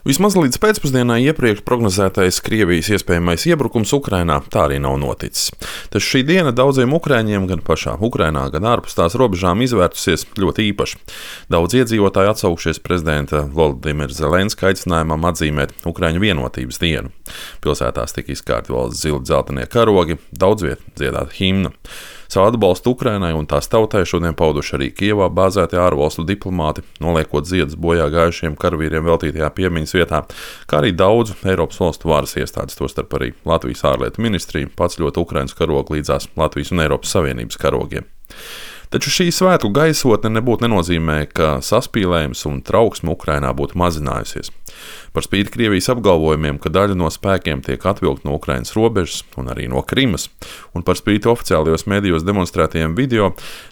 Vismaz līdz pēcpusdienai iepriekš prognozētais Krievijas iespējamais iebrukums Ukrainā tā arī nav noticis. Taču šī diena daudziem ukrāņiem gan pašā Ukrainā, gan ārpus tās robežām izvērtusies ļoti īpaši. Daudz iedzīvotāji atsaukšies prezidenta Volodimira Zelenska aicinājumam atzīmēt Ukraiņu vienotības dienu. Pilsētās tika izkārti valsts zili dzeltenie karogi, daudz viet dziedāta himna. Savu atbalstu Ukrainai un tās tautai šodien pauduši arī Kijevā bāzētie ārvalstu diplomāti, noliekot ziedus bojā gājušiem karavīriem veltītajā piemiņas vietā, kā arī daudzu Eiropas valstu varas iestādes, tostarp arī Latvijas ārlietu ministrija, paceļot Ukrainas karogu līdzās Latvijas un Eiropas Savienības karogiem. Taču šī svētku gaisotne nebūtu nenozīmē, ka saspīlējums un trauksme Ukrainā būtu mazinājusies. Par spīti Krievijas apgalvojumiem, ka daļa no spēkiem tiek atvilkta no Ukrainas robežas un arī no Krimas, un par spīti oficiālajos medijos demonstrētajiem video,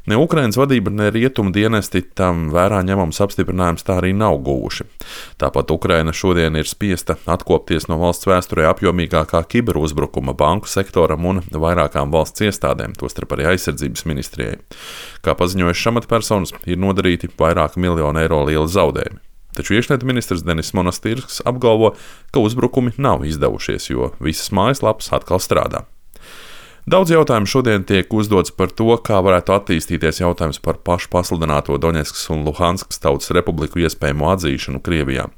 ne Ukrainas vadība, ne rietumu dienesti tam vērā ņemams apstiprinājums tā arī nav guvuši. Tāpat Ukraina šodien ir spiesta atkopties no valsts vēsturē apjomīgākā kiberuzbrukuma banku sektoram un vairākām valsts iestādēm, tostarp arī aizsardzības ministrijai. Kā paziņojušas amatpersonas, ir nodarīti vairāk miljonu eiro lieli zaudējumi. Taču iekšlietu ministrs Denis Monastirs apgalvo, ka uzbrukumi nav izdevušies, jo visas mājaslapas atkal strādā. Daudz jautājumu šodien tiek uzdots par to, kā varētu attīstīties jautājums par pašu pasludināto Doņetskas un Luhanskas tautas republiku iespējamo atzīšanu Krievijā.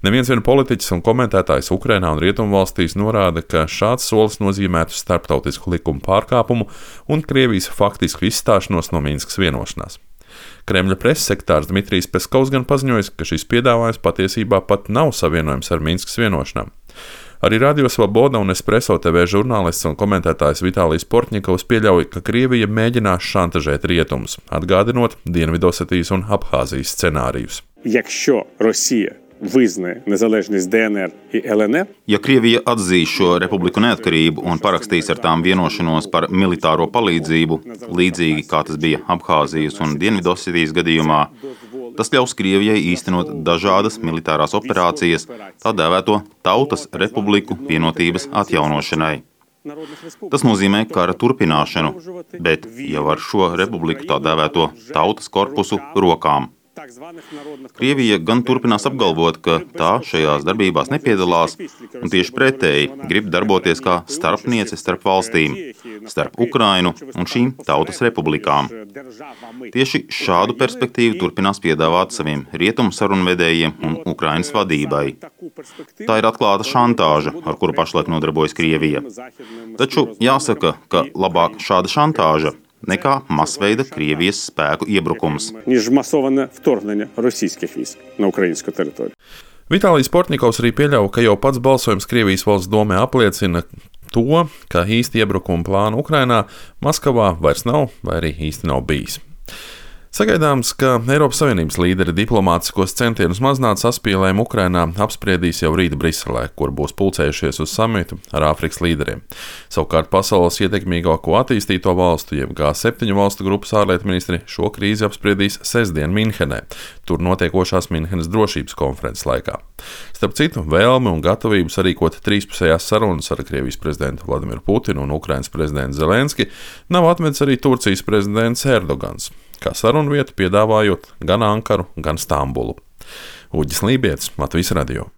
Neviens vien politiķis un komentētājs Ukrainā un Rietumvalstīs norāda, ka šāds solis nozīmētu starptautisku likumu pārkāpumu un Krievijas faktisku izstāšanos no Minskas vienošanās. Kremļa preses sekretārs Dmitrijs Peskovs gan paziņojis, ka šis piedāvājums patiesībā pat nav savienojams ar Minskas vienošanām. Arī Radio Svoboda un Espresso TV žurnālists un komentētājs Vitālijs Portņikovs pieļauj, ka Krievija mēģinās šantažēt rietumus, atgādinot Dienvidosetijas un Abhāzijas scenārijus. Ja Krievija atzīs šo republiku neatkarību un parakstīs ar tām vienošanos par militāro palīdzību, līdzīgi kā tas bija Abhāzijas un Dienvidosetijas gadījumā, tas ļaus Krievijai īstenot dažādas militārās operācijas, tā dēvēto Tautas Republiku vienotības atjaunošanai. Tas nozīmē kara turpināšanu, bet jau ar šo republiku tā dēvēto tautas korpusu rokām. Krievija gan turpinās apgalvot, ka tā šajās darbībās nepiedalās un tieši pretēji grib darboties kā starpniece starp valstīm, starp Ukrainu un šīm tautas republikām. Tieši šādu perspektīvu turpinās piedāvāt saviem rietumu sarunvedējiem un Ukrainas vadībai. Tā ir atklāta šantāža, ar kuru pašlaik nodarbojas Krievija. Taču jāsaka, ka labāk šāda šantāža nekā masveida Krievijas spēku iebrukums. Vitālijs Portņikovs arī pieļauj, ka jau pats balsojums Krievijas valsts domē apliecina to, ka īsti iebrukuma plāna Ukrainā Maskavā vairs nav vai arī īsti nav bijis. Sagaidāms, ka Eiropas Savienības līderi diplomātiskos centienus mazināt saspīlējumu Ukrainā apspriedīs jau rīt Briselē, kur būs pulcējušies uz samitu ar Āfrikas līderiem. Savukārt pasaules ietekmīgāko attīstīto valstu, jeb G7 valstu grupas ārlietu ministri šo krīzi apspriedīs sestdien Minhenē, tur notiekošās Minhenes drošības konferences laikā. Starp citu, vēlmi un gatavības sarīkot trīspusējās sarunas ar Krievijas prezidentu Vladimiru Putinu un Ukrainas prezidentu Zelenski nav atmetis arī Turcijas prezidents Erdogans, kā sarunu vietu piedāvājot gan Ankaru, gan Stambulu. Uģis Lībietis, Latvijas radio.